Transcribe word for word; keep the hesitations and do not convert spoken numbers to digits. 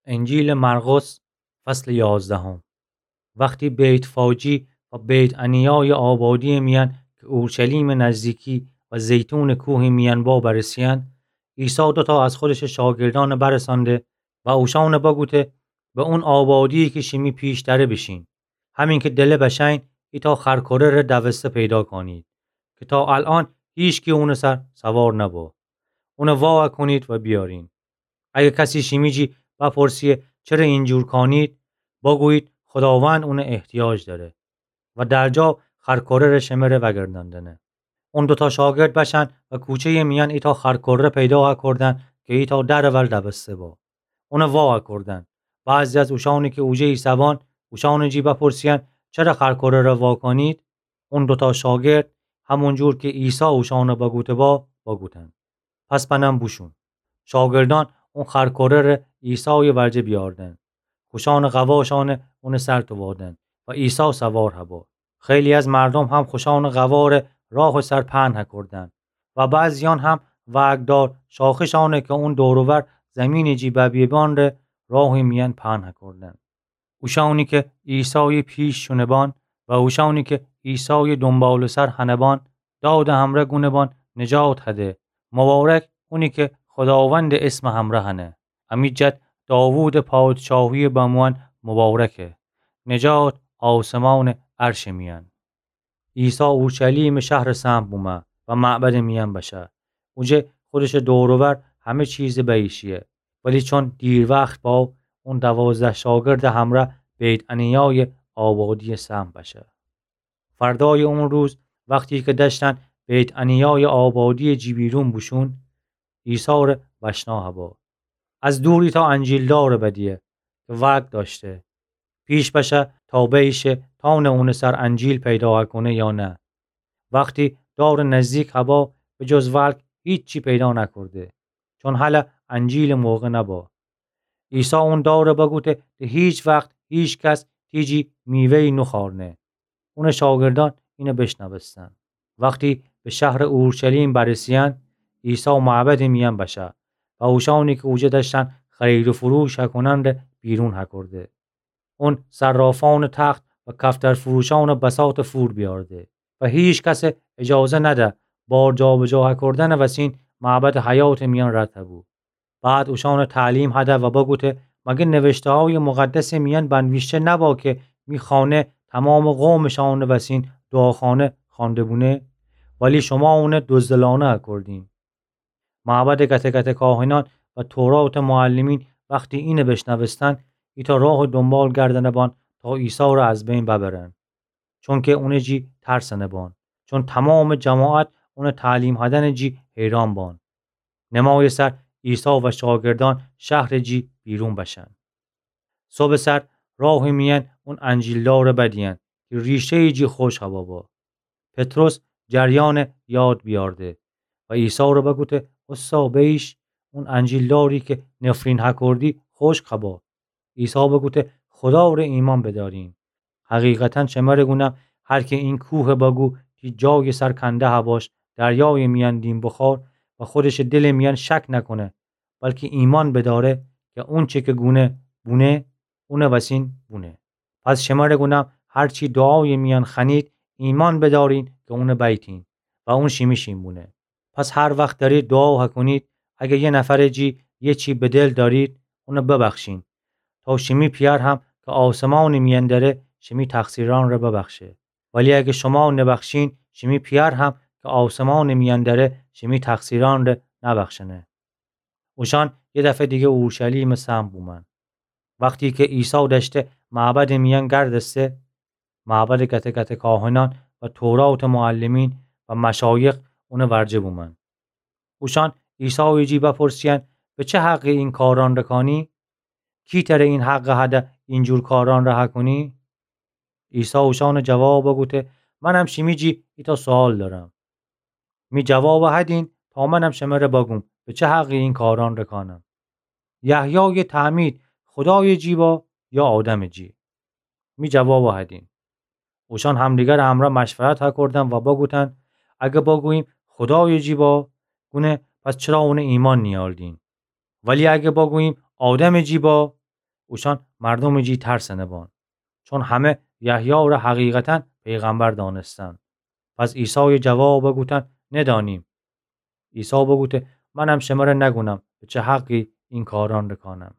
انجیلٚ مرقس، فصلٚ یازدهم. وختی بیت‌فاجی و بیت‌عنیایٚ آبادی‌یٚ میأن کی اورشلیمٚ نزدیکی و زیتونٚ کوهٚ میأن با برسه‌یأن، عیسی دوتا از خودشٚ شاگردأن برسأنده و اوشأن بگوته: به اون آبادی‌یی کی شیمی پیش دأره بیشین. همین کی دله بشأین، ایتأ خرکره‌ره دوسته پیدا کانید کی تا الأن هیچکی اونٚ سر سوار نبو. اون وا کونید و بیأرین. اگر کسی شیمی جی بپرسه چره اینجور کانید، بگویید خوداوند اون احتیاج دأره و درجا خرکره‌ره شمره وأگردأندنه. اون دوتا شاگرد بشأن و کوچه‌یٚ میأن ایتأ خرکره پیدا کردن کی ایتأ درٚ ول دوسته بو. اون وا کردن. بعضی از اوشأنی کی اوجه ایسه‌بان، اوشأنٚ جی بپرسه‌یأن چره خرکره‌ره وا کانید؟ اون دوتا شاگرد، همونجور کی عیسی اوشأن بگوته بو، بگوتن: پس بنم بوشون. شاگردأن اون خرکره‌ره عیسایٚ ورجه بیأردن. خوشأنٚ قواشأن اونٚ سر تووادن و عیسی سوار هبو. خیلی از مردوم هم خوشأنٚ قواره راهٚ سر پهن هکردن و بعضیأن هم وأگردار شاخه‌شأنه کی اون دور و ور زیمینٚ جی ببیه‌بان ره راهٚ میأن پهن هکردن. اوشأنی کی عیسایٚ پیش شونه‌بان و اوشأنی کی عیسایٚ دونبال‌سر هنه‌بان، دادٚ همره گونه‌بان نجات هده. مبارک اونی کی خوداوندٚ اسمٚ همره هنه. امی جد داوودٚ پادشاهی‌یٚ بموئن مبارکه. نجات آسمانٚ عرشٚ میأن. عیسی اورشلیمٚ شهرٚ صحن بومه و معبدٚ میأن بشه. اوجه خودشٚ دور و ور همه چیز بیشیه. ولی چون دیر وخت بو، اون دوازده شاگردٚ همره بیت‌عنیایٚ آبادی‌یٚ صحن بشه. فردایٚ اون روز، وختی کی دأشتن بیت‌عنیایٚ آبادی‌یٚ جی بیرون بوشون، عیسی ره بشنأ هبو. از دور ایتأ انجیل‌دار بدیه کی ولگ دأشته. پیش بشه تا بیشه تأونه اونٚ سر انجیل پیدا کونه یا نه. وختی دارٚ نزدیک هبو، به جز ولگ هیچی پیدا نکرده، چون هله انجیلٚ موقع نبو. عیسی اون دار بگوته کی هیچ وخت هیچ کس تی جی میوه‌یی نوخوأرنه. اونٚ شاگردأن اینه بشنوستن. وختی به شهرٚ اورشلیم برسه‌یأن، عیسی معبدٚ میأن بشه و اوشأنی کی اوجه دأشتن خرید و فروش هکونن ره بیرون هکرده. اون صرافأنٚ تخت و کفترفروشأنٚ بساط فور بیأرده و هیچ کس اجازه نده بار جابجا هکردنٚ وسین معبدٚ حیاتٚ میأن رد هبو. بعد اوشأن تعلیم هده و بگوته: مگر نوشته‌هایٚ مقدسٚ میأن بنویشته نبو کی می خانه تمامٚ قومٚ شأنٚ وسین دعاخانه خوأنده بونه؟ ولی شوما اونه دزدلأنه هکردین. معبدٚ گته‌گته‌کاهنأن و توراتٚ معلمین وختی اینه بشنوستن، ایتأ راه دونبال گردنه‌بان تا عیسی ره از بین ببرن. چونکی اونٚ جی ترسنه‌بان، چون تمامٚ جماعت اونٚ تعلیم هدنٚ جی حیران بان. نمایٚ سر عیسی و شاگردأن شهرٚ جی بیرون بشن. صبحٚ سر راهٚ میأن اون انجیل‌دار بدیئن کی ریشه‌یٚ جی خوش هبو بو. پطرس جریأن یاد بیأرده و عیسی ره بگوته: اوستا بیش، اون انجیل‌داری کی نفرین هکردی خوشک هبو. عیسی بگوته: خودا ره ایمأن بدأرین. حقیقتاً شمره گونم، هر کی این کوه بگو کی جایٚ سر کنده هباش، دریایٚ میأن دین بخور و خودشٚ دلٚ میأن شک نکونه، بلکی ایمأن بدأره کی اونچی کی گونه بونه، اونٚ وسین بونه. پس شمره گونم، هرچی دعایٚ میأن خوأنید، ایمأن بدأرین کی اونه بیتین و اون شیمی شین بونه. پس هر وخت دأرید دعا هکونید، اگر یه نفرٚ جی یه چی به دل دأرید، اونه ببخشین، تا شیمی پیأر هم کی آسمانٚ میأن دأره شیمی تقصیرأن ره ببخشه. ولی اگر شوما نبخشین، شیمی پیأر هم کی آسمانٚ میأن دأره شیمی تقصیرأن ره نبخشنه. اوشأن یه دفعه دیگه اورشلیمٚ صحن بومن. وختی کی عیسی دأشته معبدٚ میأن گردسته، معبدٚ گته‌گته‌کاهنأن و توراتٚ معلمین و مشایخ اونٚ ورجه بومن. اوشأن عیسایٚ جی بپرسیئن: به چه حقی این کارأن رکانی؟ کی تره این حق هده اینجور کارأن ره هکونی؟ عیسی اوشأنٚ جواب بوگوته: منم شیمی جی ایتأ سؤال دأرم. می جواب هدین تا منم شمره بگوم به چه حقی این کارأن رکانم. یحیایٚ تعمید خودایٚ جی با یا آدمٚ جی؟ می جواب هدین. اوشأن همدیگرٚ امرأ مشورت هکردن و بوگوتن: اگه بوگوییم خودایٚ جی با، گونه پس چرا اونه ایمأن نیأردین؟ ولی اگه بوگوییم آدمٚ جی با، اوشأن مردومٚ جی ترسنه بان، چون همه یحیی را حقیقتاً پیغمبر دانستند. پس عیسای جواب بوگوتن: ندانیم. عیسی بوگوته: منم شمره نگونم به چه حقی این کاران رکانم.